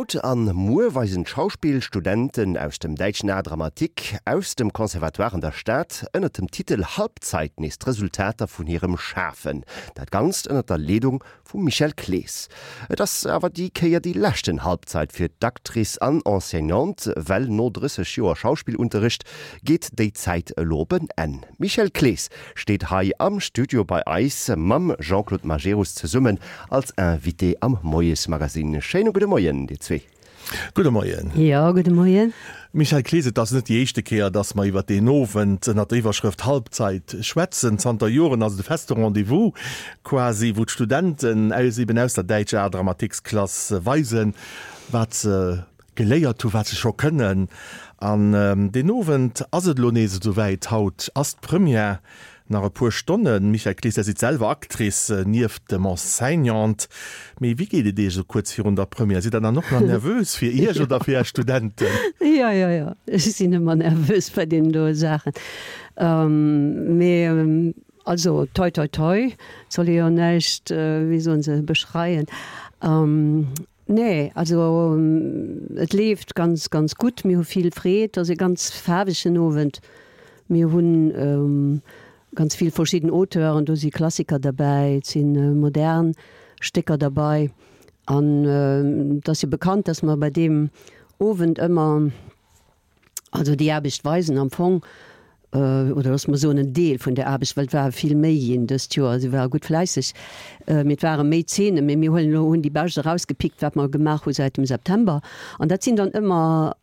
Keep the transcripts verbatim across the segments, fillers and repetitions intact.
Haut an muer weisen d'Schauspillstudenten aus dem Däitschen Art Dramatique aus dem Conservatoire an der Stad ënnert dem Titel Halbzeit nees d'Resultater vun hirem Schafen. Dat Ganzt ënnert der Leedung vum Michel Clees. Et ass awer déi Kéier déi leschten Halbzeit fir d'Actrice an Enseignante, well no drësseg Joer Schauspillunterricht geet déi Zäit elo op en Enn. D'Michèle Clees steet hei am Studio bei eis mam Jean-Claude Majerus zesummen als Invité am Moiesmagazin. Schéine gudde Moien dir zwee. Gudde Moien. Jo, gudde Moien. Michèle Clees, et ass net déi éischte Kéier, dass mer iwwer deen Owend ënner der Iwwerschrëft Halbzeit schwätzen. Zanter Joren ass et e feste Rendez-vous quasi, wou d'Studenten aus eben aus der däitscher Art Dramatiques-Klass weisen, wat se geléiert hu, wat se scho kënnen. An deen Owend ass et elo nees esouwäit. Haut ass d'Première. Nach e puer Stonnen. Michèle Clees, Der sidd selwer Actrice nieft dem Enseignant. Mee wéi geet et Iech esou kuerz virun der Première? Sidd Der dann och nach nervös fir Iech oder fir Är Studenten? Jo, jo, jo, ech sinn ëmmer nervös bei deenen doe Saachen. Mee also toi toi toi, et soll ee jo näischt, wéi soen se, beschreien. Nee, also et leeft ganz, ganz gutt. Mir hu vill Freed. Et ass e ganz faarwegen Owend. Mir hunn ganz vill verschidden Auteuren, do si Klassiker derbäi, et si modern Stécker derbei. An et ass jo bekannt, dass mer bei deem Owend ëmmer, also déi Aarbecht weisen am Fong, oder loosse mer soen en Deel vun der Aarbecht, well et ware vill méi ginn dëst Joer, si ware gutt fläisseg, mee et ware méi Zeenen, mee mir huelen elo, hunn déi bescht erausgepickt, wat mer gemaach hu säit dem September. An dat sinn dann ëmmer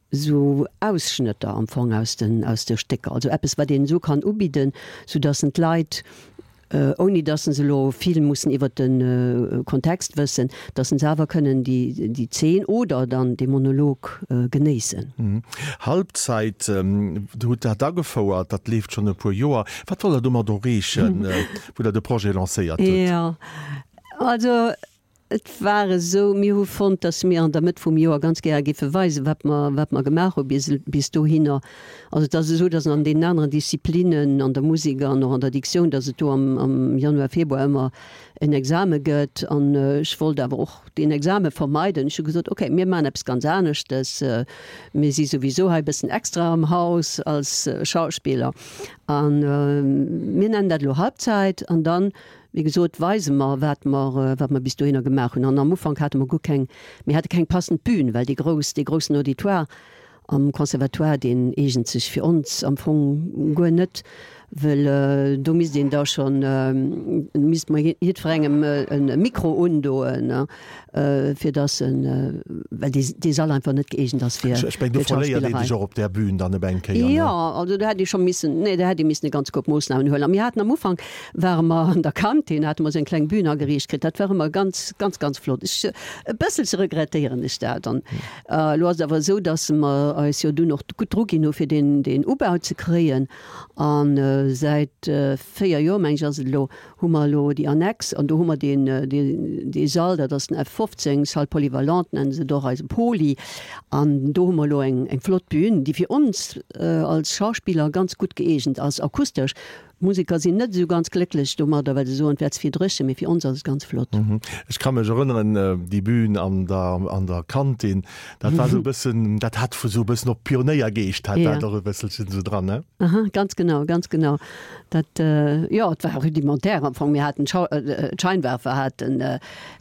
esou Ausschnëtter am Fong aus den, aus de Stécker, also eppes, wat een esou kann ubidden, soudass en d'Leit, ouni dass se elo vill mussen iwwert de Kontext wëssen, dass se awer kënnen déi, déi Zeen oder dann dee Monolog genéissen. Halbzeit, Dir hutt dat agefouert, dat leeft schonn e puer Joer. Wat wollt Der domat erreechen, wou Der de Projet lancéiert hutt? Jo, also Et war esou, mir hu fonnt, datt mir an der Mëtt vum Joer ganz gäre géife weisen, wat mer, wat mer gemaach hu bis, bis dohinner. Also et ass esou, datt an deenen aneren Disziplinen, an der Musek an och an der Diktioun, datt et do am, am Januar, Februar ëmmer en Exame gëtt. An ech wollt awer och deen Exame vermeiden. Ech hu gesot, okay, mir maachen eppes ganz aneschtes. Mir si souwisou hei e bëssen extra am Haus als Schauspiller. A mir nennen dat elo Halbzeit. An dann Wéi gesot, weise mer, wat mer, wat mer bis dohinner gemaach hunn. An am Ufank hate mer guer keng, mir hate keng passend Bühn, well déi grouss, dee groussen Auditoire am Conservatoire, deen eegent sech fir ons am Fong guer net, well do misst een da schonn, misste mer jiddwerengem e Mikro undoen, fir dass en, well dee, dee Sall einfach net gëeegent ass fir, Ech mengen, do verléiert ee d'Schauspillerei. sech och op där Bühn dann op eng Kéier, ne? Jo, also do hätt ee scho missen, nee, do hätt ee missen e ganz Koup Moossnamen huelen. A mir haten am Ufank, ware mer an der Kantin, hate mer esou eng kleng Bühn ageriicht kritt. Dat war ëmmer ganz, ganz, ganz flott. Ech, e bësselche regrettéieren ech dat. An elo ass et awer esou, dass mer eis jo dunn och gutt dru ginn hu fir deen, deen Ubau ze kréien. A säit véier Joer, meng ech, ass et elo, hu mer elo déi Annex an do hu mer deen, deen, dee Sall, dat ass den F fofzéng, Salle polyvalente nennen se et och, eise Poly. An do hu mer elo eng, eng flott Bühn, déi fir ons als Schauspiller ganz gutt gëeegent ass, akustesch. D'Museker sinn net esou ganz glécklech domadder, well se soen, et wär ze vill dréchen, mee fir ons ass et ganz flott. Ech ka mech erënneren, déi Bühn an der, an der Kantin, dat war esou e bëssen, dat hat esou e bëssen op Pionéiergeescht hat dat och e bësselchen esou dran, ne? Aha, ganz genau, ganz genau. Dat, jo, et war rudimentaire am Fong. Mir haten d'Scheinwerfer haten,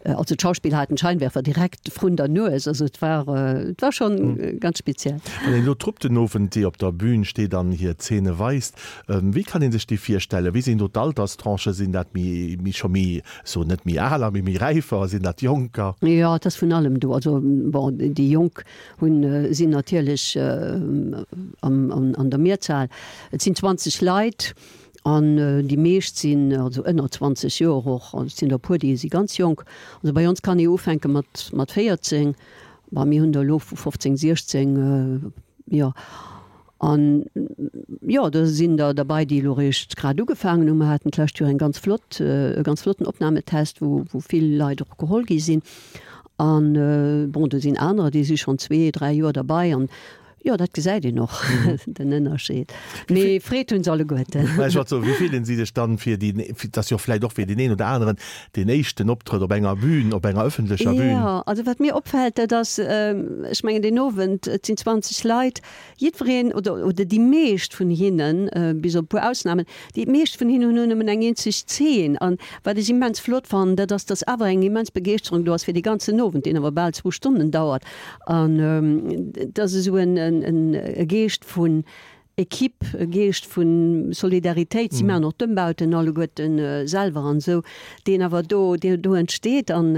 also d'Schauspiller haten d'Scheinwerfer direkt vrun der Nues. Also et war, et war schonn ganz speziell. Wann een elo d'Trupp den Owend, déi op der Bühn steet an hir Zeene weist, wéi kann ee sech déi virstellen? Wéi sinn do d'Alterstranchen? Sinn dat méi, méi scho méi, ech soen net méi aler, mee méi räifer? Sinn dat Jonker? Jo, et ass vun allem do. Also bon, déi Jonk hunn, sinn natierlech am, an der Mehrzahl. Et sinn zwanzeg Leit an déi meescht sinn also ënner zwanzeg Joer och. Also et sinn der e puer, déi si ganz jonk. Also bei ons kann ee ufänke mat mat véierzéng, bon mir hunn der elo vu fofzéng, siechzéng, jo. An jo, do sinn der derbei, déi elo eréischt grad ugefaangen hunn. Mer haten d'lescht Joer eng ganz flott, e ganz flotten Opnahmetest, wou wou vill Leit och geholl gi sinn. An bon, do sinn anerer, déi si schonn zwee, dräi Joer derbei an Jo, dat gesäit een och, den Ënnerscheed. Mee Freed hunn se alleguerten. Mä ech wollt soen, wéi fillen si sech dann fir déi, dat ass jo vläicht och fir deen een oder aneren deen éischten Optrëtt op enger Bühn, op enger ëffentlecher Bühn? Jo, also wat mir opfält, dat ass, ech mengen deen Owend, et sinn zwanzeg Leit, jiddwereen oder, oder déi meescht vun hinnen, bis op e puer Ausnamen, déi meescht vun hinnen hunn nëmmen eng eenzeg Zeen. An wat ech immens flott fannen, dat ass, dass awer eng immens Begeeschterung do ass fir dee ganzen Owend, deen awer bal zwou Stonnen dauert. An et ass esou en, en, e Geescht vun Equipe, e Geescht vu Solidaritéit, si maachen och d'Ëmbauten alleguerten selwer an esou, deen awer do, deen do entsteet. An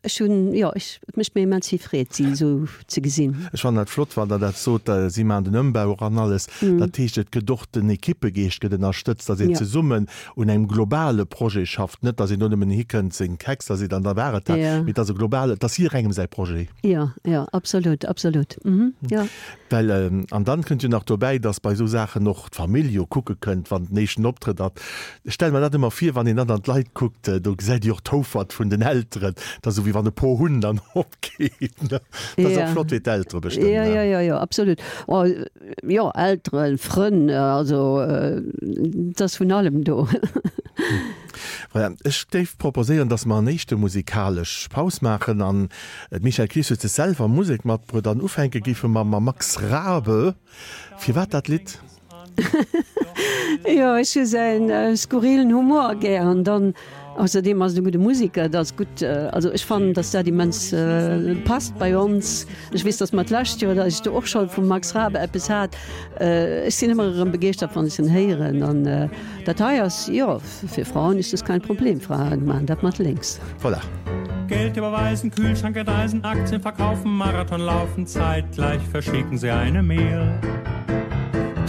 ech hunn, jo, ech, et mécht mir immens vill Freed, si esou ze gesinn. Ech fannen dat flott, wann Der dat sot, si maachen den Ëmbau och an alles. Dat heescht, et gëtt och den Equippegeescht gëtt ënnerstëtzt, datt een zesummen un engem globale Projet schafft, net datt een do nëmmen hikënnt, seng Texter seet an da war et dat, mee et ass e globale, et ass jidderengem säi Projet. Jo, jo, absolut, absolut, jo. Well, an dann kënnt jo nach dobäi, dass bei esou Saachen och d'Famill jo kucke kënnt, wann den éischten Optrëtt ass. Ech stelle mer dat ëmmer vir, wann een dann an d'Leit kuckt, do gesäit ee jo och d'Houfert vun den Elteren. Dat ass esou wéi wann e Po Hunn dann opgeet, ne? Dat ass och flott fir d'Eltere bestëmmt, ne? Jo, jo, jo, jo, absolut. Oh, jo, Elteren, Frënn, also et ass vun allem do. Voilà, ech géif proposéieren, dass mer en éischte musikalesch Paus maachen an d'Michèle Clees huet sech selwer Musek matbruet an ufänke géife mer mam Max Rabe. Firwat dat Lidd? Jo, ech hu säin skurrilen Humor gär an dann ausserdeem ass et e gudde Musiker, dat ass gutt. Also ech fannen, dass dat immens passt bei ons. Ech weess, dass mer d'lescht Joer, dass ech do och scho vum Max Rabe eppes hat. Ech sinn ëmmer erëm begeeschtert, wann ech en héieren an dat hei ass, jo, für Frauen ist das kein Problem, Frauen machen dat mat lénks. Voilà. Geld überweisen, Kühlschrank enteisen, Aktien verkaufen, Marathon laufen, zeitgleich verschicken sie eine Mail.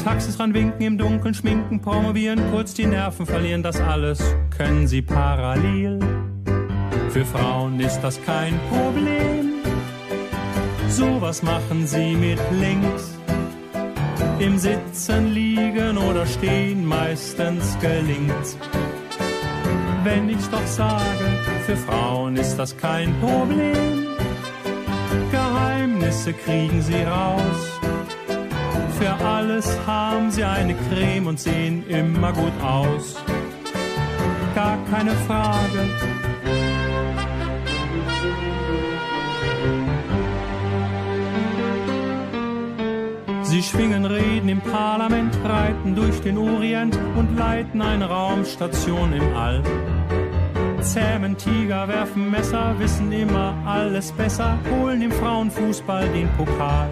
Taxis ranwinken, im Dunkeln schminken, promovieren, kurz die Nerven verlieren, das alles können sie parallel. Für Frauen ist das kein Problem. Sowas machen sie mit links. Im Sitzen, Liegen oder Stehen, meistens gelingt's. Wenn ich's doch sage, für Frauen ist das kein Problem. Geheimnisse kriegen sie raus. Für alles haben sie eine Creme und sehen immer gut aus. Gar keine Frage. Sie schwingen Reden im Parlament, reiten durch den Orient und leiten eine Raumstation im All. Zähmen Tiger, werfen Messer, wissen immer alles besser, holen im Frauenfußball den Pokal.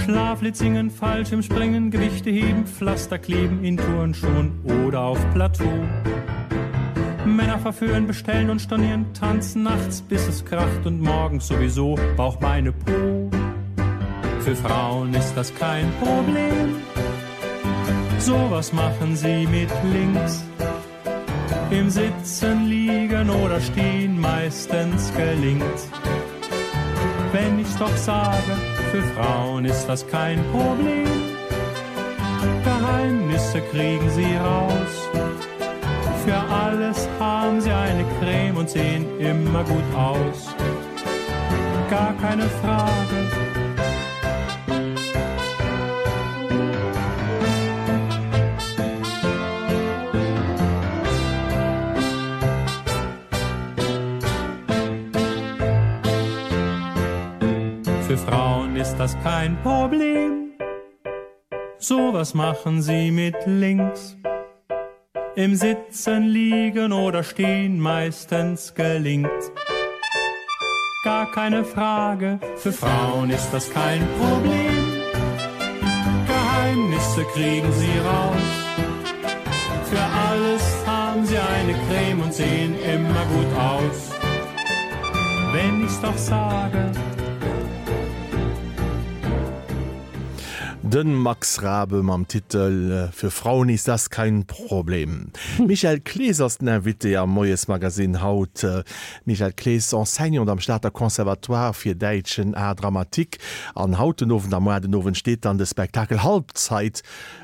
Schlaflied singen, Fallschirmspringen, Gewichte heben, Pflaster kleben in Turnschuhen oder auf Plateau. Männer verführen, bestellen und stornieren, tanzen nachts, bis es kracht und morgens sowieso Bauch, Beine, Po. Für Frauen ist das kein Problem. Sowas machen sie mit links. Im Sitzen, Liegen oder Stehen, meistens gelingt's. Wenn ich's doch sage, für Frauen ist das kein Problem. Geheimnisse kriegen sie raus. Für alles haben sie eine Creme und sehen immer gut aus. Gar keine Frage. Für Frauen ist das kein Problem. Sowas machen sie mit links. Im Sitzen, Liegen oder Stehen, meistens gelingt. Gar keine Frage, für Frauen ist das kein Problem. Geheimnisse kriegen sie raus. Für alles haben sie eine Creme und sehen immer gut aus. Wenn ich's doch sage. Den Max Rabe mam Titel äh, Für Frauen ist das kein Problem. Michel Clees ass den Invité am Moiesmagazin haut. Äh, Michel Clees Enseignant am Stater Conservatoire fir däitschen Art dramatique. An haut den Owend, am muer den Owend steet dann de Spektakel Halbzeit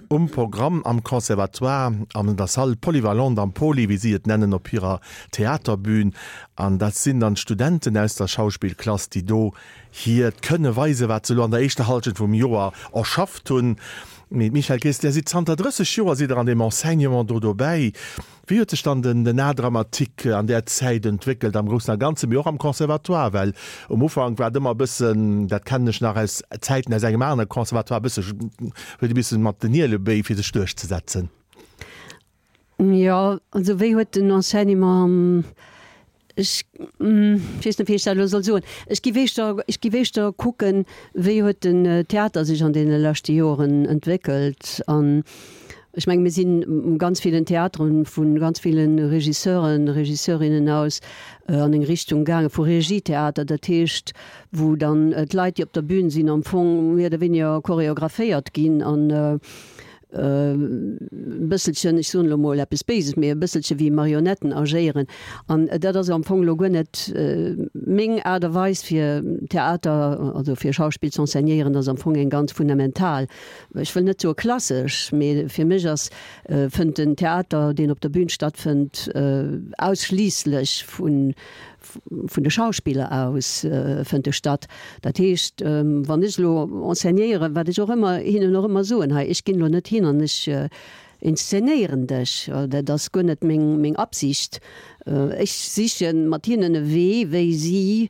um Programm am Conservatoire an der Salle polyvalente am Poly, wéi si et nennen op hirer Theaterbün. An dat sinn dann Studenten aus der Schauspillklass, déi do hiert Kënne weisen, wat se lo an der éischter Hallschent vum Joer erschafft hunn. Mee Michel Clees, Dir sidd zanter drësseg Joer sidd Der an deem Enseignement do dobäi. Wéi huet sech dann den den Art dramatique an där Zäit entwéckelt, am Groussen a Ganzen, mee och am Conservatoire? Well um Ufank war et ëmmer e bëssen, dat kennen ech nach aus Zäiten aus engem anere Conservatoire, e bësse huet e bëssen mat den Ielebéi fir sech duerchzesetzen. Jo, also wéi huet den Enseignement, ech weess net wéi ech dat elo soll soen, ech géif éischter, ech géif éischter kucken, wéi huet den Theater sech an deene leschte Joren entwéckelt. An ech menge mir sinn ganz villen Theateren vu ganz ville Regisseuren, Regisseurinnen aus an eng Richtung gaange vu Regietheater, dat heescht wou dann d'Leit déi op der Bühn sinn am Fong méi oder wéiniger choreographéiert ginn an e bësselchen, ech soen elo mol eppes Béises, mee e bësselche wéi Marionetten agéieren. An dat ass am Fong elo guer net meng Aart a Weis fir Theater, also fir Schauspill z'enseignéieren, ass am Fong eng ganz fundamental, ech wëll net soe klassesch, mee fir mech ass, fënnt den Theater, deen op der Bühn stattfënnt, ausschliisslech vun vun de Schauspiller aus fënnt e statt. Dat heescht, wann ech elo enseignéieren, wat ech och ëmmer hinnen och ëmmer soen, hei, ech ginn elo net hin an ech inszenéieren dech, dat ass guer net meng meng Absicht. Ech siche mat hinnen e Wee, wéi si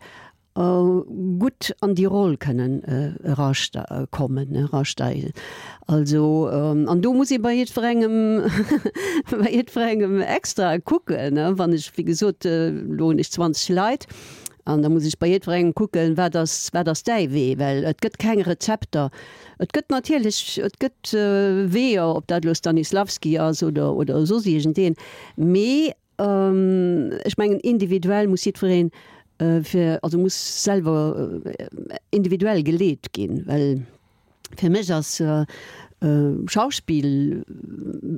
gutt an déi Roll kënnen erakommen, erasteigen. Also, an do muss ee bei jiddwerengem, bei jiddwerengem extra kucken, wann ech, wéi gesot, elo hunn ech zwanzeg Leit, an da muss ech bei jiddwerengem kucken, wat ass, wat ass däi Wee, well et gëtt keng Rezepter. Et gëtt natierlech, et gëtt Weeër, ob dat elo Stanislavski ass oder, oder soss iergendeen, mee ech mengen individuell muss jiddwereen fir, also muss selwer individuell geleet ginn, well fir mech ass Schauspill,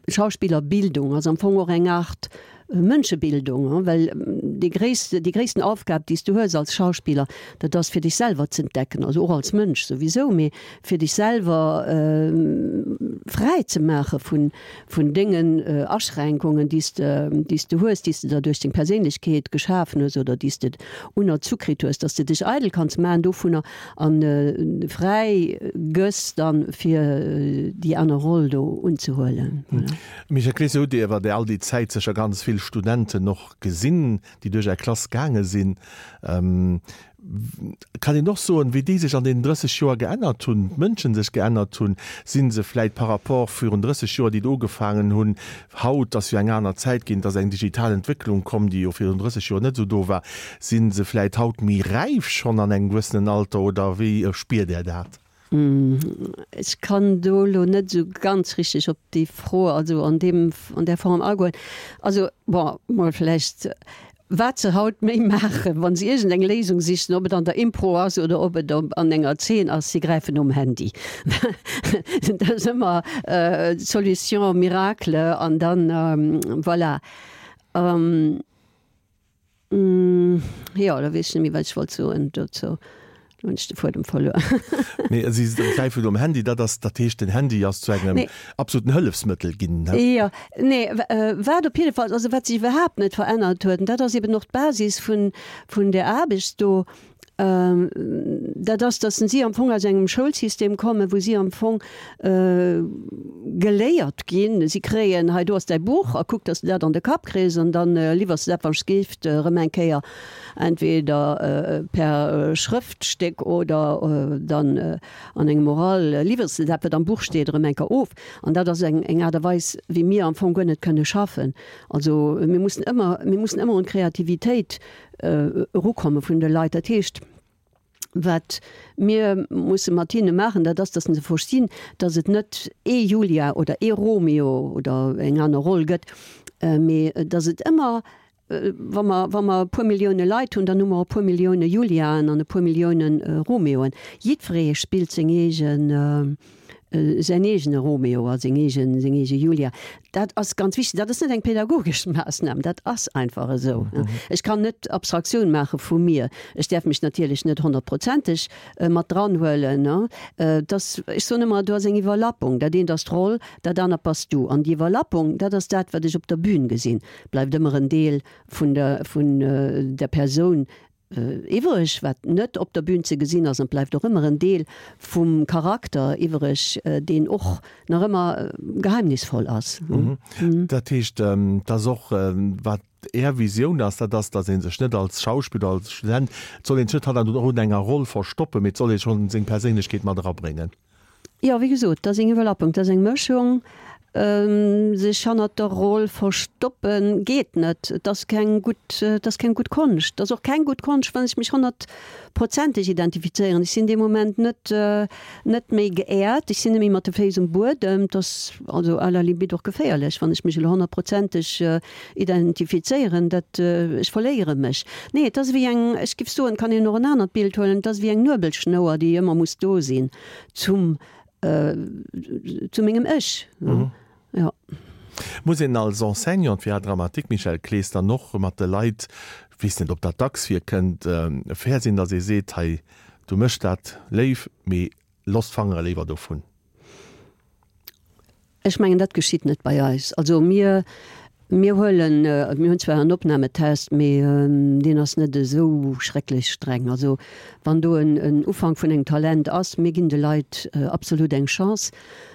Schauspillerbildung ass am Fong och eng Aart Mënschebildung, well déi gréisst, déi gréissten Aufgab, déi s du hues als Schauspiller, dat ass fir dech selwer z'entdecken, also och als Mënsch souwisou, mee fir dech selwer fräi ze maache vun, vun dengen Aschränkungen, déi s de, déi s de hues, déi s de der duerch deng Perséinlechkeet geschafen hues oder déi s de unerzu kritt hues, dass de dech eidel kanns maachen dovunner an fräi gëss dann, fir déi aner Roll do unzehuelen. Voilà. Michèle Clees, Dir hutt iwwer all déi Zäit sécher ganz vill Studenten och gesinn, déi duerch Är Klass gaange sinn. Kann een och soen, wéi déi sech an deenen drësseg Joer geännert hunn, d'Mënschen sech geännert hunn? Si se vläit par rapport virun drësseg Joer, déi et ugefaangen hunn, haut ass jo eng aner Zäit ginn, et ass eng digital Entwécklung komm, déi jo virun drësseg Joer net esou do war, si se vläit haut méi räif schonn an engem gewëssenen Alter oder wéi spiert Där dat? Ech kann do elo net esou ganz richteg op déi Fro, also an deem, an där Form agoen. Also, bon, mol vläicht, wat se haut méi maachen, wa se iergendeng Léisung sichen, ob et an der Impro ass oder ob et an enger Zeen ass, si gräifen nom Handy. Dat ass ëmmer d'Solution miracle an dann, voilà. Jo, da weess ech net méi, wat ech wollt soen dozou. Lo hunn ech de Fuedem verluer. Nee, si gräifen nom Handy, dat ass, dat heescht, den Handy ass zu engem Nee. absoluten Hëllefsmëttel ginn, ne? Jo, nee, wat op jidde Fall, also wat sech iwwerhaapt net verännert huet, an dat ass eben och d'Basis vun, vun där Aarbecht do, dat ass, datt si am Fong aus engem Schoulsystem kommen, wou si am Fong geléiert ginn, si kréien, hei do ass däi Buch a kuck, datt s de dat an de Kapp kriss an dann liwwers de dat, wann s geeft, erëm eng Kéier entweder per Schrëftstéck oder dann an engem Oral, liwwers de dat, wat am Buch steet, erëm eng Kéier of. An dat ass eng eng Aart a Weis, wéi mir am Fong guer net kënne schaffen. Also mir mussen ëmmer, mir mussen ëmmer un d'Kreativitéit erukomme vun de Leit. Dat heescht, wat mir musse mat hinne maachen, dat ass, datt se verstinn, datt et net ee Julia oder ee Romeo oder eng aner Roll gëtt, mee datt et ëmmer, wa mer, wa mer e puer Millioune Leit hunn, dann hu mer e puer Millioune Juliaen an e puer Millioune Romeoen. Jiddweree spillt seng eegen säin eegene Romeo a seng eegen, seng eege Julia. Dat ass ganz wichteg. Dat ass net eng pädagogesch Maassnam, dat ass einfach esou. Ech kann net Abstraktioun maache vu mir. Ech däerf mech natierlech net honnertprozenteg mat dranhuelen. Dass, ech soen ëmmer, do ass eng Iwwerlappung. Dat eent ass d'Roll, dat anert bass du. An déi Iwwerlappung, dat ass dat, wat ech op der Bühn gesinn, bleift ëmmer en Deel vun der, vun der Persoun iwwereg, wat net op der Bühn ze gesinn ass, an bleift och ëmmer en Deel vum Charakter iwwereg, deen och nach ëmmer geheimnisvoll ass. Dat heescht, dass och, wat Är Visioun ass, dat ass, dass ee sech net als Schauspiller, als Student, et soll ee sech net hannert enger Roll verstoppen, mee et soll ee schonn seng Perséinlechkeet mat erabréngen. Jo, wéi gesot, dat ass eng Iwwerlappung, dat ass eng Mëschung. Sech hannert der Roll verstoppen, geet net. Et ass keng gutt, et ass keng gutt Konscht. Et ass och keng gutt Konscht, wann ech mech honnertprozenteg identifizéieren. Ech sinn dee Moment net, net méi geehrt, ech sinn net méi mat de Féiss um Buedem. Et ass also à la limite och geféierlech, wann ech mech elo honnertprozenteg identifizéieren. Dat, ech verléiere mech. Nee, et ass ewéi eng, ech géif soen, kann een och en anert Bild huelen, et ass ewéi eng Nuebelschnouer, déi ëmmer muss do sinn zum, zu mengem Ech. Jo. Muss een als Enseignant fir Art dramatique, Michèle Clees, dann och mat de Leit, weess net ob dat dacks virkënnt, fair sinn, datt ee seet, hei du méchs dat léif, mee looss d'Fangere léiwer dovun? Ech mengen, dat geschitt net bei eis. Also mir, mir huelen, mir hunn zwar en Opnahmetest, mee deen ass net esou schrecklech streng. Also wann do en, en Ufank vun engem Talent ass, mir ginn de Leit absolut eng Chance.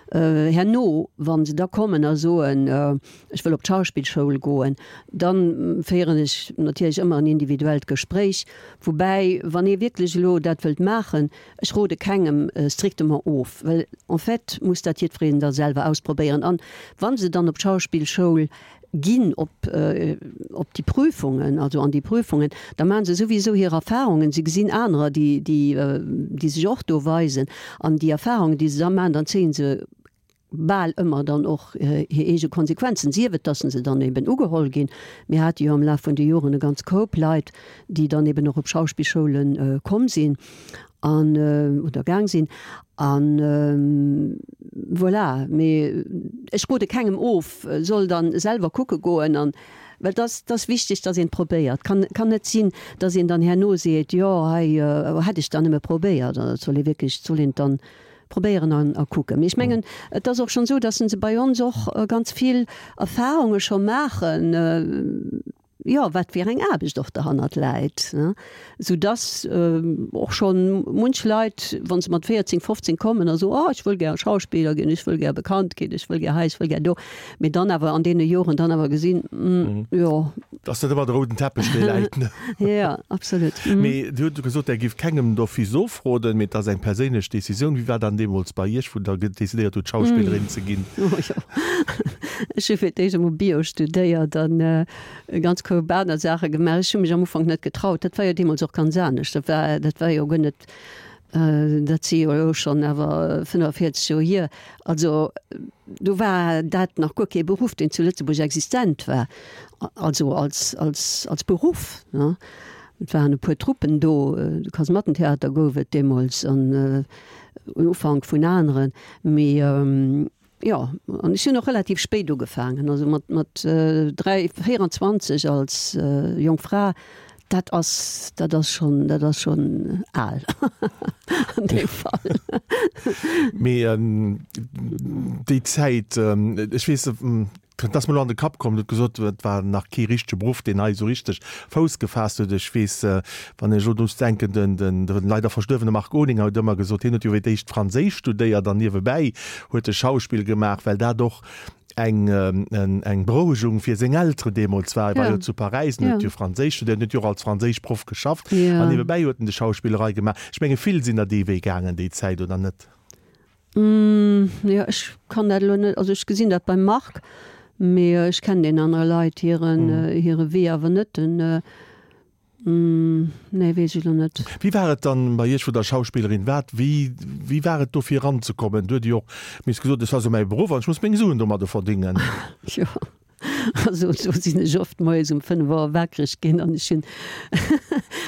Herno, wa se da kommen a soen, ech wëll op d'Schauspillschoul goen, da féieren ech natierlech ëmmer en individuellt Gespréich. Woubäi, wann ee wierklech elo dat wëllt maachen, ech rode kengem strictement of, well en fait muss dat jiddwereen da selwer ausprobéieren. An wa se dann op d'Schauspillschoul ginn, op, op déi Prüfungen, also an déi Prüfungen, da maache se souwisou hir Erfahrungen, se gesinn anerer, déi, déi, déi sech och do weisen, an déi Erfahrungen, déi se da maachen, dann zéie se bal ëmmer dann och hir eege Konsequenzen, sief et, dass se dann eben ugeholl ginn. Mir hate jo am Laf vun de Joren e ganz Koup Leit, déi dann eben och op Schauspillschoule komm sinn an, oder gaang sinn. An voilà, mee ech rode kengem of, soll dann selwer kucke goen an, well et ass, et ass wichteg, dass een et probéiert. Kann, kann net sinn, dass een dann herno seet, jo hei hätt ech dann nëmme probéiert. Et soll ee wierklech, et soll een et dann probéieren an a kucken. Mee ech mengen, et ass och schonn esou, dass se bei ons och ganz vill Erfahrunge scho maachen, jo, wat fir eng Aarbecht och derhannert läit, ne, soudass och schonn munch Leit, wa se mat véierzéng, fofzéng kommen a soen, oh, ech wëll gär Schauspiller ginn, ech wëll gär bekannt ginn, ech wëll gär hei, ech wëll gär do, mee dann awer an deene Joren dann awer gesinn, jo. Ass net ëmmer de rouden Teppech, dee läit, ne? Jo, absolut. Mee Dir hutt gesot, Der giff kengem d'office ofroden, mee et ass eng perséinlech Decisioun. Wéi war dann deemools bei Iech, wou Der decidéiert hutt, Schauspillerin ze ginn? Oh jo, ech hu fir d'éischt emol Bio studéiert an e ganz Koup aner Saache gemaach. Ech hu mech am Ufank net getraut. Dat war jo deemools och ganz anescht. Dat war, dat war jo guer net, dat si jo elo schonn awer fënnefenvierzeg Joer hier. Also do war dat nach guer kee Beruff, deen zu Lëtzebuerg existent war, also als, als, als Beruff, ne. Et waren e puer Truppen do, de Kasemattentheater gouf et deemools an en Ufank vun aneren, mee Jo, an ech hunn och relativ spéit ugefaangen, also mat, mat dräi, véieranzwanzeg als jonk Fra, dat ass, dat ass schonn, dat ass schonn al an deem Fall. Mee déi Zäit, ech weess, Et ass mer elo an de Kapp komm, Du hutt gesot, et war nach kee richtege Beruff, deen hei esou richteg Fouss gefaasst huet. Ech weess, wann ech elo drun denken, den, den, de leider verstuerwene Marc Olinger huet ëmmer gesot, hien huet jo fir d'éischt Franséisch studéiert an niewebäi huet e Schauspill gemaach, well dat och eng, eng Berouegung fir seng Elteren deemools war. E war jo zu Paräis an huet jo Franséisch studéiert, huet jo och als Franséischproff geschafft an niewebäi huet en de Schauspillerei gemaach. Ech menge vill sinn der dee Wee gaangen déi Zäit, oder net? Jo, ech kann dat elo net, also ech gesinn dat beim Marc, mee ech kennen deenen anere Leit hiren hire Wee awer net. Den, nee, weess ech elo net. Wéi war et dann bei Iech, wou Der Schauspillerin waart? Wéi, wéi war et do fir eranzekommen? Du huet Dir jo och miss gesot, et ass jo mäi Beruff an ech muss meng Suen domadde verdéngen. Jo. Also do sinn ech oft moies um fënnef Auer wakereg ginn an ech hunn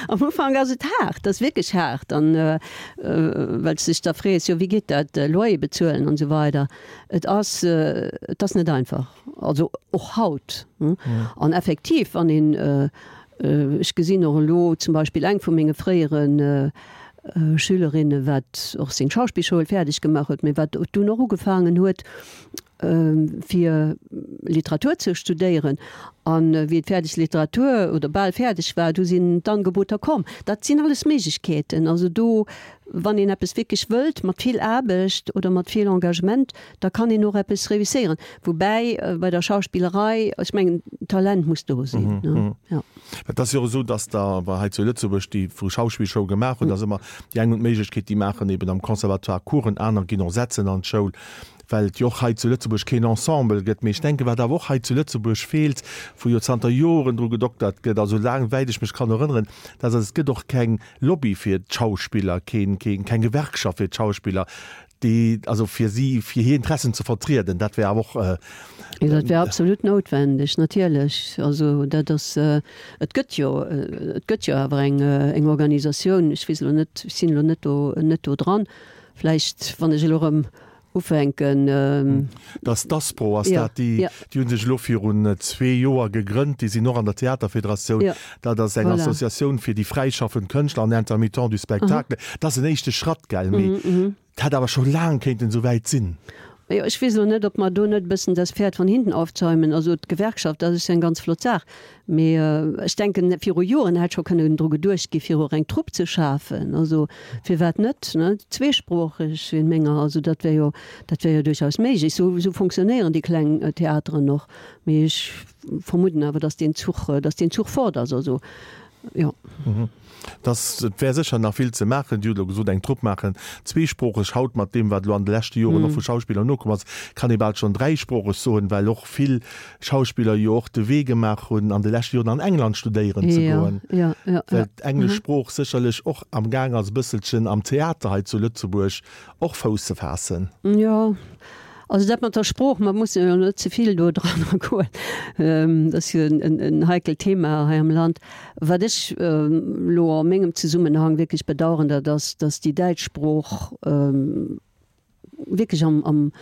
Am Ufank ass et haart, dat ass wierklech haart an well s de dech da frees, jo wéi geet dat, Loyer bezuelen an esou weider. Et ass, et ass net einfach, also och haut. An effektiv, wann een, ech gesinn och elo zum Beispill eng vu menge fréiere Schülerinne wat och seng Schauspillschoul fäerdeg gemaach huet, mee wat dunn och ugefaangen huet, fir Literatur ze studéieren. An wéi et fäerdeg Literatur oder bal fäerdeg war, du sinn d'Angeboter komm. Dat sinn alles Méiglechkeeten. Also do, wann een eppes wierklech wëllt, mat vill Aarbecht oder mat vill Engagement, da kann een och eppes réusséieren. Woubäi bei der Schauspillerei, ech mengen, Talent muss do sinn, ne? Jo. Et ass jo och esou, datt der hei zu Lëtzebuerg, déi wou Schauspillschoul gemaach hunn, da ass ëmmer déi eng hunn d'Méiglechkeet, déi maachen eben am Conservatoire Coursen, aner ginn och setzen an d'Schoul, well et jo och hei zu Lëtzebuerg keen Ensemble gëtt. Mee ech denken, wat awer och hei zu Lëtzebuerg feelt, wou jo zanter Joren dru gedoktert gëtt, also laang wäit ech mech kann erënneren, dat ass, et gëtt och keng Lobby fir d'Schauspiller, keen, keen, keng Gewerkschaft fir d'Schauspiller, déi, also fir si, fir hir Interessen ze vertrieden. Dat wär awer och. Jo, dat wär absolut noutwendeg, natierlech. Also dat ass, et gëtt jo, et gëtt jo awer eng, eng Organisatioun, ech weess elo net, ech sinn elo net do, net do dran, vläicht wann ech elo erëm ufänken. Dass d'Aspro ass dat, déi déi hu sech elo virun zwee Joer gegrënnt, déi sinn och an der Theaterfederatioun. Dat ass eng Associatioun fir déi fräischaffend Kënschtler an Intermittents du spectacle. Dat ass en éischte Schratt, gell, mee et hätt awer scho laang kéinten esou wäit sinn. Jo, ech weess elo net, ob mer do net e bëssen das Pferd von hinten aufzäumen. Also d'Gewerkschaft, dat ass jo eng ganz flott Saach, mee ech denken, viru Joren hätt scho kënnen dru geduecht gi fir och eng Trupp ze schafen. Also firwat net, ne? Zweesproocheg wéi menger, also dat wär jo, dat wär jo duerchaus méiglech. Esou, esou fonctionnéieren déi kleng Theateren och. Mee ech vermudden awer, datt deen Zuch, datt deen Zuch fort ass. Also jo. Dass, et wär sécher nach vill ze maachen. Dir hutt elo gesot, eng Trupp maachen, zweesproocheg. Haut, mat deem, wat elo an de leschte Joren och vu Schauspiller nokomm ass, kann ee bal schonn dräisproocheg soen, well och vill Schauspiller jo och de Wee gemaach hunn, an de leschte Joren an England studéieren ze goen, well d'englesch Sprooch sécherlech och am Gaang ass, e bësselchen am Theater hei zu Lëtzebuerg och Fouss ze faassen. Jo, also dat mat der Sprooch, mer mussen jo net ze vill do dran agoen, dat ass jo en heikelt Thema hei am Land. Wat ech elo a mengem Zesummenhang wierklech bedauern, dat ass, datt déi däitsch Sprooch wierklech am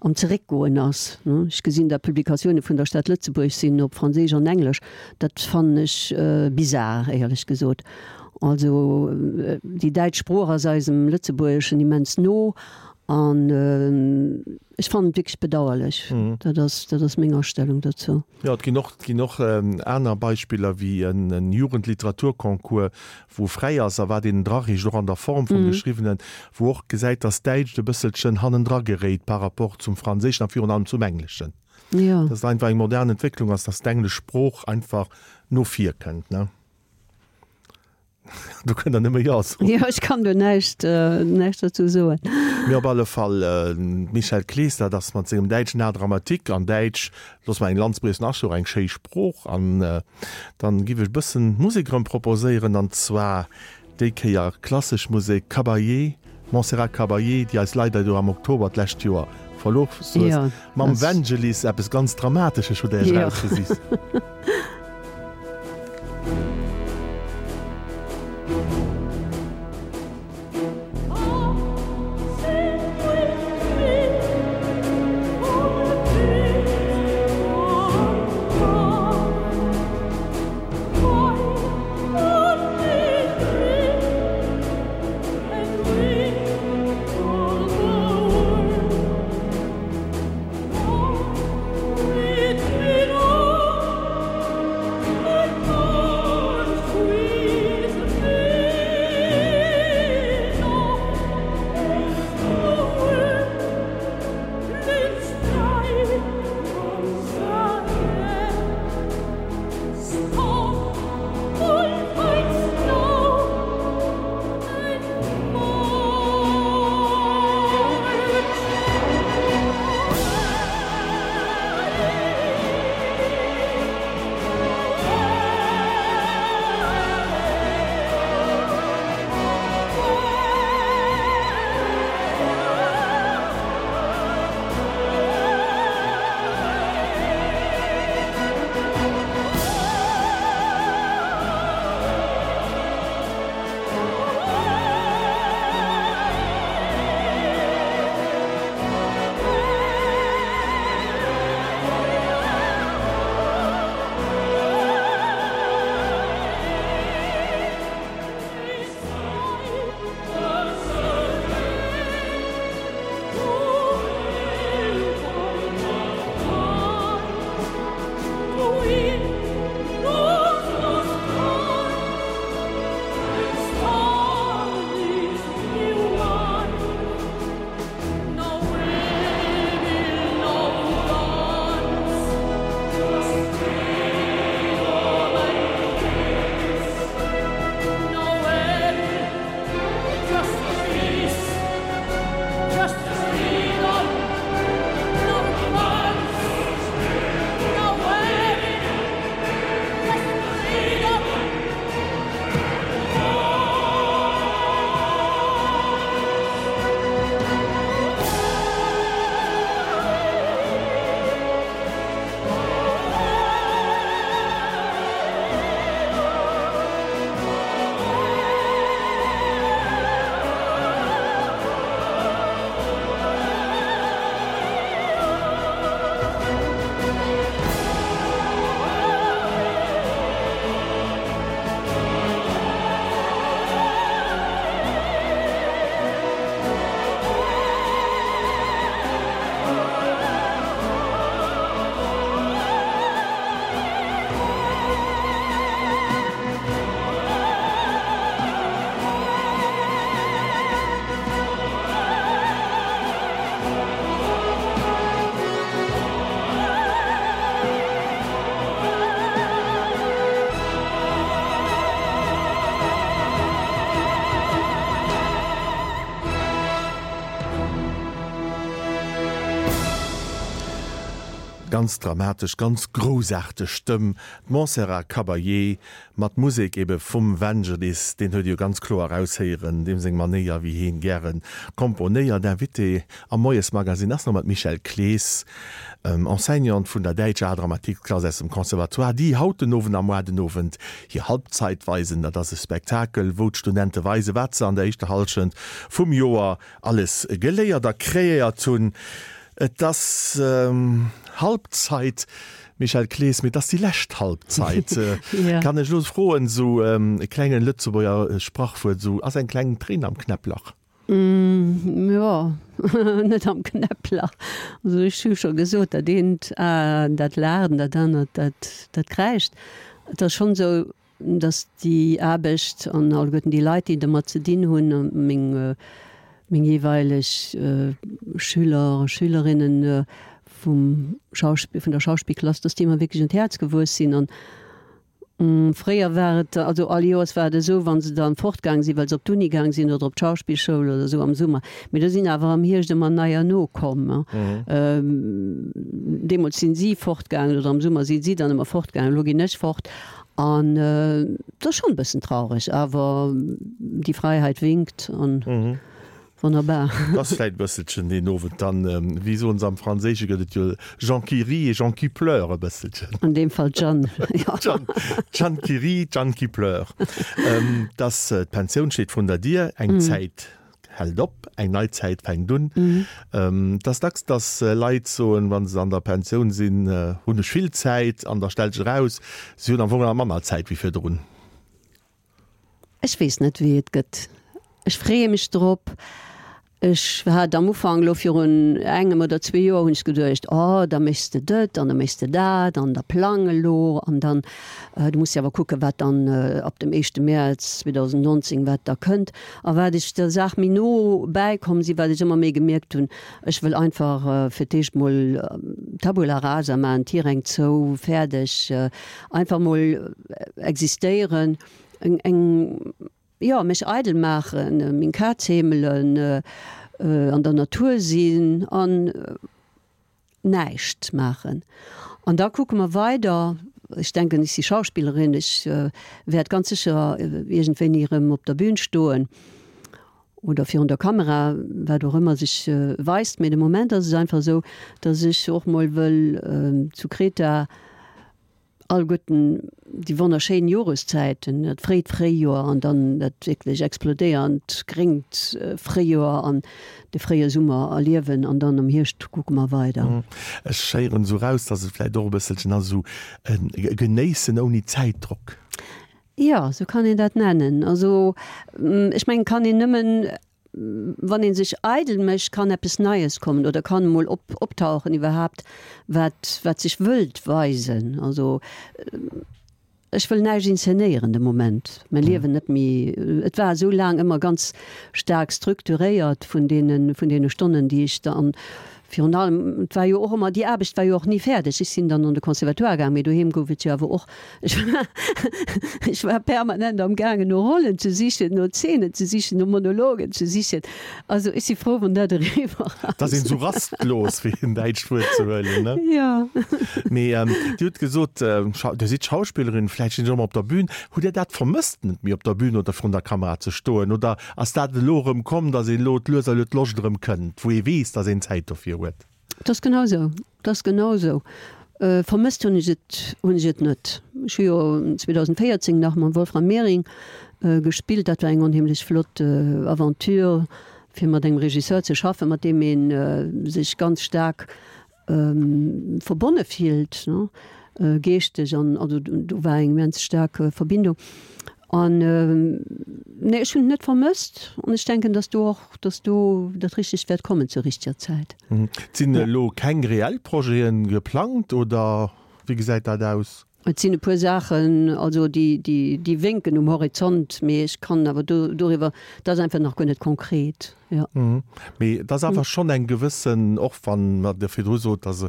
am Zeréckgoen ass. Ech gesinn, datt Publikatioune vun der Stad Lëtzebuerg sinn op Franséisch an Englesch. Dat fannen ech bizar, éierlech gesot. Also déi däitsch Sprooch ass eisem Lëtzebuergeschen immens no an ech fannen et wierklech bedauerlech. Dat ass, dat ass meng Astellung dozou. Jo, et ginn och, et ginn och aner Beispiller wéi en Jugendliteraturconcours, wou fräi ass a wat een drareecht, och an der Form vum Geschriwwenen, wou och gesäit, datt d'Däitscht e bësselchen hannendra geréit par rapport zum Franséischen a virun allem zum Engleschen. Jo. Datt et einfach eng modern Entwécklung ass, datt d'englesch Sprooch einfach no vir kënnt, ne? Do kënnt Der nëmme Jo soen. Jo, ech kann do näischt, näischt dozou soen. Mee op alle Fall, d'Michèle Clees, dat ass mat sengem däitschen Art dramatique an Däitsch, loosse mer eng Lanz briechen, ass jo och eng schéi Sprooch. An dann giff ech e bëssen Musek erëm proposéieren, an zwar déi Kéier klassesch Musek, Caballé, Montserrat Caballé, déi eis leider jo am Oktober d'lescht Joer verlooss huet, mam Vangelis, eppes ganz Dramatesches hutt Der Iech erausgesicht. Ganz dramatesch, ganz groussaarteg Stëmm, d'Montserrat Caballé mat Musek ebe vum Vangelis, deen huet ee jo ganz kloer eraushéieren, deem seng Manéier wéi heen gäre komponéiert. Invitée am Moiesmagazine ass nach ëmmer d'Michèle Clees, Enseignante vun der däitscher Art-Dramatique-Klass aus dem Conservatoire, déi haut den Owend a moar den Owend hir Halbzeit weisen. Dat ass e Spektakel, wou d'Studente weisen, wat se an der éischter Hallschent vum Joer alles geléiert a kreéiert hunn. Et ass Halbzeit, Michèle Clees, mee et ass déi lescht Halbzeit. Kann ech elo froen, esou e klengen Lëtzebuerger Sprachwuert, esou, ass eng kleng Tréin am Knäpplach? Jo, net am Knäpplach. Also ech hu scho gesot, dat eent A dat laacht an dat anert dat dat kräischt. Et ass schonn esou, datt déi Aarbecht an alleguerten déi Leit, déi domat ze dinn hunn, meng meng jeeweileg Schüler a Schülerinnen vum Schauspill, vun der Schauspillklass, dass déi mer wierklech un d'Häerz gewuess sinn. An fréier war et, also all Joers war et esou, wa se dann fortgaang sinn, well se op d'Uni gaang sinn oder op d'Schauspillschoul oder esou am Summer, mee do sinn awer am Hierscht ëmmer neier nokomm. Deemools sinn si fortgaangen oder am Summer si si dann ëmmer fortgaangen, elo ginn ech fort. An et ass schonn e bëssen traureg, awer die Freiheit winkt an wonnerbar. Et ass vläit e bësselchen deen Owend dann, wéi soen se am Franséische gëtt et jo Jean qui rit et Jean qui pleure e bësselchen. An deem Fall d'Jeanne, jo. D'Jeanne, d'Jeanne qui rit, d'Jeanne qui pleure. Dass d'Pensioun steet vrun der Dier, eng Zäit hält op, eng nei Zäit fänkt un. Et ass dacks, dass Leit soen, wa se an der Pensioun sinn, hunn ech vill Zäit an da stellt sech eraus, si hunn am Fong nach manner Zäit wéi virdrun. Ech weess net, wéi et gëtt. Ech freeë mech drop. Ech hat am Ufank, elo virun engem oder zwee Joer, hunn ech geduecht, oh da méchs de dët an da méchs de dat an da plang elo an dann, du muss jo awer kucken, wat dann ab dem éischte Mäerz zweedausendnonzéng, wat da kënnt. A wat ech der Saach méi no bäikomm sinn, wat ech ëmmer méi gemierkt hunn, ech wëll einfach fir d'éischt mol Tabula rasa maachen, Tiräng zou, fäerdeg, einfach mol existéieren, eng, eng, jo, mech eidel maachen, meng Kaz heemelen, an der Natur sinn an näischt maachen. An da kucke mer weider. Ech denken, ech si Schauspillerin, ech wäert ganz sécher iergendwéini erëm op der Bühn stoen oder virun der Kamera, wat och ëmmer sech weist. Mee de Moment ass et einfach esou, datt ech och mol wëll zu Kreta, Alleguerten déi wonnerschéin Joreszäiten, dat fréit Fréijoer an dann dat wierklech explodéiernd gréngt Fréijoer an de fréie Summer erliewen an dann am Hierscht kucke mer weider. Ech héieren esou raus, dass et vläicht och e bësselchen ass esou e Genéissen ouni Zäitdrock. Jo, esou kann een dat nennen. Also ech mengen, kann een nëmmen wann ee sech eidel mécht, kann eppes Neies kommen oder kann emol op, optauchen iwwerhaapt, wat, wat sech wëllt weisen. Also ech wëll näischt inzenéieren de Moment, mäi Liewen net méi. Et war esou laang ëmmer ganz staark strukturéiert vun deene, vun deene Stonnen, déi ech dann, virun allem, et war jo och ëmmer, déi Aarbecht war jo och ni fäerdeg. Ech sinn dann an de Conservatoire gaang, mee doheem gouf et jo awer och, ech war, ech war permanent am gaangen no Rollen ze sichen, no Zeenen ze sichen, no Monologen ze sichen. Also ech si frou, wann dat eriwwer ass. Et ass een esou rastlos, fir en däitscht Wuert ze huelen, ne? Jo. Mee Dir hutt gesot, Dir sidd Schauspillerin, vläicht sinn ech och mol op der Bühn. Hutt Dir dat vermësst, net méi op der Bühn oder vrun der Kamera ze stoen? Oder ass dat elo erëm komm, datt een elo lues a lues d'Loscht erëm kënnt, wou ee weess, datt een Zäit dofir huet? Et ass genau esou, et ass genau esou. Vermësst hunn ech et, hunn ech et net. Ech hu jo zweedausendvéierzéng nach mam Wolfram Mehring gespillt. Dat war eng onheemlech flott Aventure, fir mat engem Regisseur ze schaffen, mat deem ee sech ganz staark verbonne fillt, geeschteg an also do war eng immens staark Verbindung. An nee, ech hunn et net vermësst an ech denken, datt do och, datt do dat Richtegt wäert kommen zur richteger Zäit. Sinn elo keng reell Projete geplangt oder wéi gesäit dat aus? Et sinn e puer Saachen, also déi, déi, déi wénken um Horizont, mee ech kann awer do, doriwwer, dat ass einfach nach guer net konkret, jo. Mee et ass awer schonn eng gewëssen, och wann Der virdru sot, dass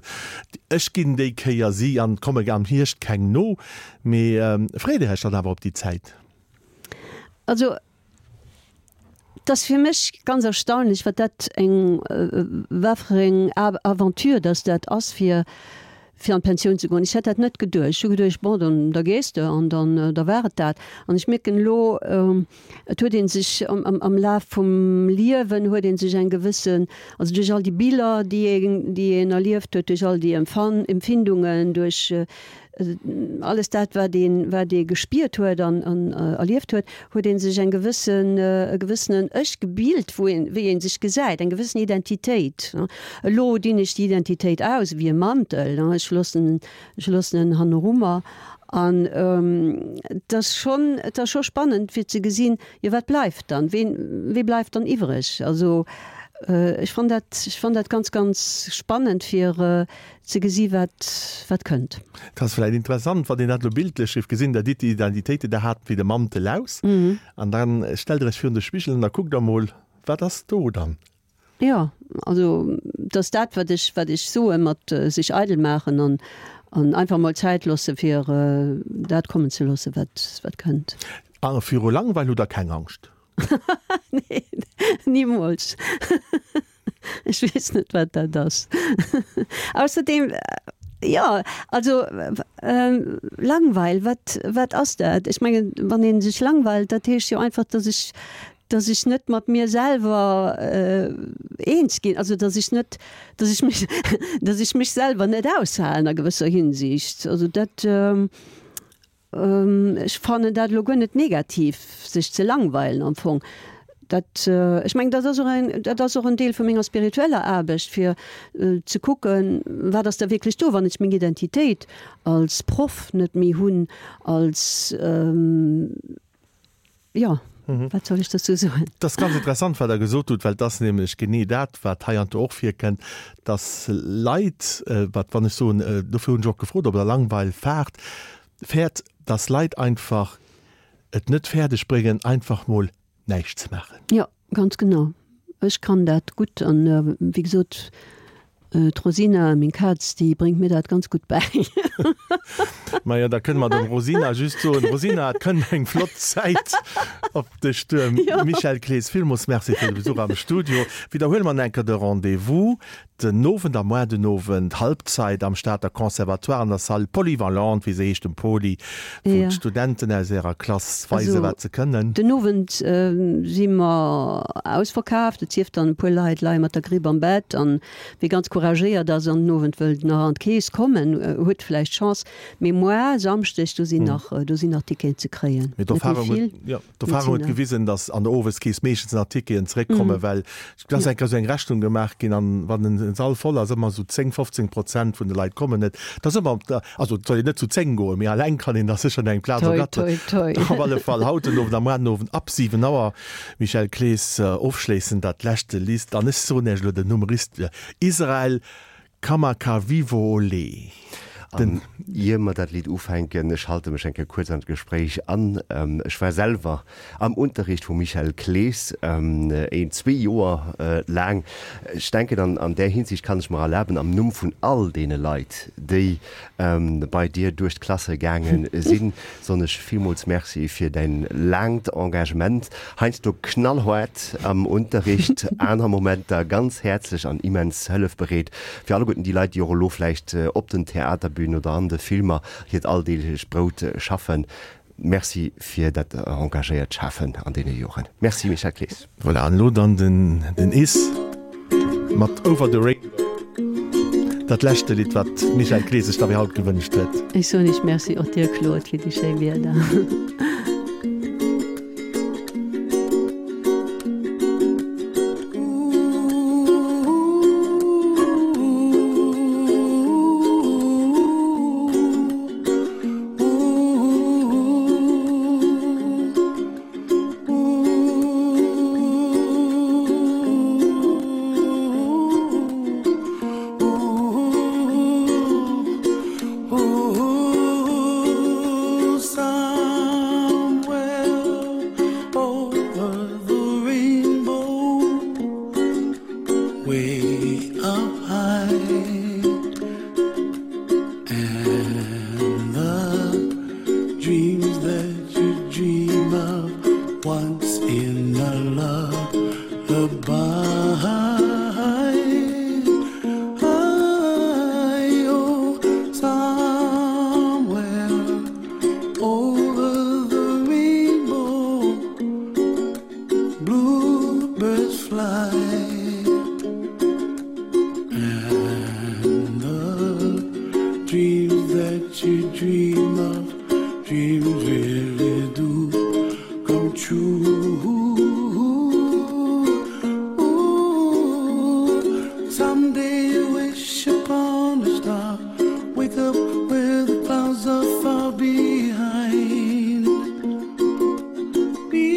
ech ginn déi Kéier si an et komme am Hierscht keng no, mee freet Dir Iech dann awer op déi Zäit? Also et ass fir mech ganz erstaunlech, wat dat eng, wat fir eng Aventure dass dat ass, fir, fir an d'Pensioun ze goen. Ech hätt dat net geduecht. Ech hu geduecht, bon, dann, da gees de an dann, da war et dat. An ech mierken elo, et huet ee sech am, am, am Laf vum Liewen huet ee sech eng gewëssen, also duerch all déi Biller, déi een, déi een erlieft huet, duerch all déi Empfan-, Empfindungen, duerch alles dat, wat een, wat ee gespiert huet an, an erlieft huet, huet ee sech eng gewëssen, e gewëssenen Ech gebilt, wou een, wéi ee sech gesäit, eng gewëssen Identitéit. Elo dinn ech déi Identitéit aus wéi e Mantel, ech loossen, ech loossen en hannerummer. An et ass schonn, et ass scho spannend fir ze gesinn, jo wat bleift dann, ween, wee bleift dann iwwreg? Also ech fann dat, ech fann dat ganz, ganz spannend fir ze gesi wat, wat kënnt. Et ass vläicht interessant, wann een dat elo bildlech géif gesinn, Der ditt déi Identitéit, déi Der hat, wéi de Mantel aus an dann stellt Der Iech virun de Spigel an da kuckt Der emol, wat ass do dann? Jo, also et ass dat, wat ech, wat ech soe mat sech eidel maachen an, an einfach mol Zäit loosse fir dat kommen ze loosse wat, wat kënnt. A viru Langweil hutt Der keng Angscht? Nee, nimools. Ech weess net, wat dat ass. Ausserdeem, jo, also Langweil, wat, wat ass dat? Ech mengen, wann ee sech langweilt, dat heescht jo einfach, dass ech, dass ech net mat mir selwer eens ginn, also dass ech net, dass ech mech, dass ech mech selwer net aushalen a gewësser Hinsicht. Also dat, Ech fannen dat elo guer net negativ, sech ze langweilen am Fong. Dat, ech mengen, dat ass och en, dat ass och en Deel vu menger spiritueller Aarbecht, fir ze kucken, wat ass da wierklech do, wann ech meng Identitéit als Proff net méi hunn, als, jo, wat soll ech dozou soen? Dat ass ganz interessant, wat Der gesot hutt, well et ass nämlech genee dat, wat heiansdo och virkënnt, dass Leit, wat, wann ech soen, dofir hunn ech och gefrot, ob Der Langweil faart, fäert, dass Leit einfach et net fäerdeg bréngen, einfach mol näischt ze maachen. Jo, ganz genau. Ech kann dat gutt an, wéi gesot, d'Rosina, meng Kaz, déi bréngt mir dat ganz gutt bäi. Majo, da kënne mer dem Rosina just soen, Rosina, et kënnt eng flott Zäit op dech duer. Michèle Clees, villmools Merci fir de Besuch am Studio. Widderhuele mer nach eng Kéier de Rendez-vous. Den Owend a moar den Owend, Halbzeit am Stater Conservatoire an der Salle polyvalente, wéi se heescht, dem Poly, wou d'Studenten aus ärer Klass weisen, wat se kënnen. Den Owend si mer ausverkaaft, et sief dann e puer Leit leie mat der Gripp am Bett. An wie ganz couragéiert ass an den Owend wëllt nach an d'Keess kommen, huet vläicht Chance. Mee moar, Samschdeg, do sinn nach, do sinn nach Ticketen ze kréien. Mee d'Erfahrung huet, jo, d'Erfahrung huet gewisen, datt an der Oweskeess meeschtens nach Ticketen zeréckkommen, well et ass eng Kéier esou eng Rechnung gemaach ginn, an wann en Sall voll ass, ëmmer esou zéng, fofzéng Prozent vun de Leit kommen net. Et ass ëmmer op der, also et soll een net zu zéng goen, mee alleng kann een da sécher eng Plaz ergatteren. Toi, toi, toi. Op alle Fall haut den Owend a muar den Owend ab siwen Auer. Michèle Clees, ofschléissend dat leschte Lidd, an ech soen Iech elo den Numm rist, Israel Kamakawiwo'ole. An ier mer dat Lidd ufänken, ech halte mech eng Kéier kuerz an d'Gespréich an. Ech war selwer am Unterricht vum Michel Clees, een, zwee Joer laang. Ech denken, an an där Hinsicht kann ech mer erlaben, am Numm vun all deene Leit, déi bei dir duerch d'Klasse gaange sinn, soen ech villmools Merci fir däin laangt Engagement, heiansdo knallhaart am Unterricht, aner Momenter ganz häerzlech an immens hëllefbereet. Fir alleguerten déi Leit, déi och elo vläicht op den Theaterbünen oder an de Filmer hiert alldeeglecht Brout schaffen, Merci fir dat engagéiert Schafen an deene Joren. Merci Michel Clees. Voilà, an elo dann den Is mat Over the Rainbow, dat leschte Lidd, wat d'Michèle Clees sech da fir haut gewënscht huet. Ech soen iech Merci, och dir Claude, fir déi schéi Wierder. that you dream of dreams really do come true Ooh, someday you wish upon a star wake up where the clouds are far behind be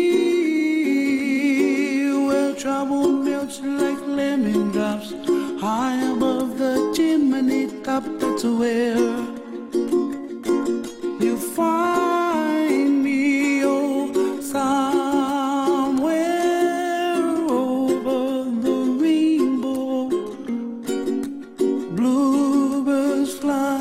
where trouble melts like lemon drops high above the chimney top that's where you find me oh somewhere over the rainbow bluebirds fly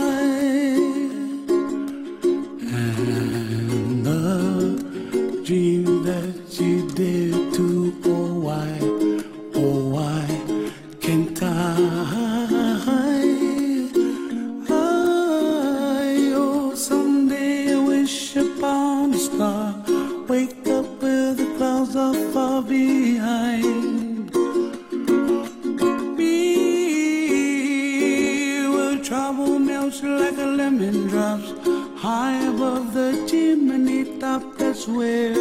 and the dream that you did to oh why oh why can't I I oh someday I wish upon a star wake up where the clouds are far behind me where trouble melts like a lemon drops high above the chimney top that's where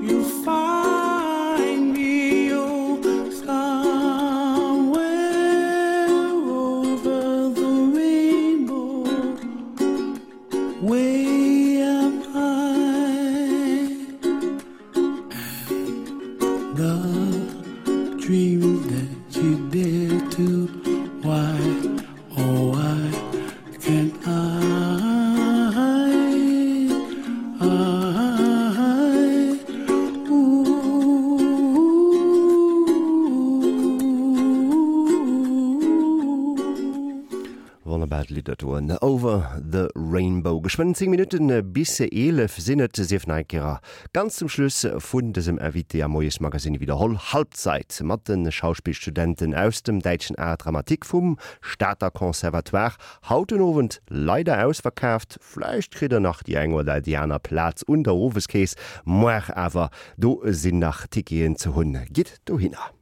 you find me oh somewhere over the rainbow way up high and the dream that you dare to why oh why can't I I ooh Wonnerbart Lidd dat doen. Over the Rainbow. Geschwënn zéng Minutten bis eelef sinn et sief nach eng Kéier. Ganz zum Schluss vun dësem Invité am Moiesmagazin widderholl Halbzeit mat den Schauspielstudenten aus dem däitschen Art Dramatique vum Stater Conservatoire. Haut den Owend leider ausverkaaft. Vläicht kritt der nach déi eng oder déi aner Plaz un der Oweskeess. Muer awer do sinn nach Ticketen ze hunn. Gitt dohinner.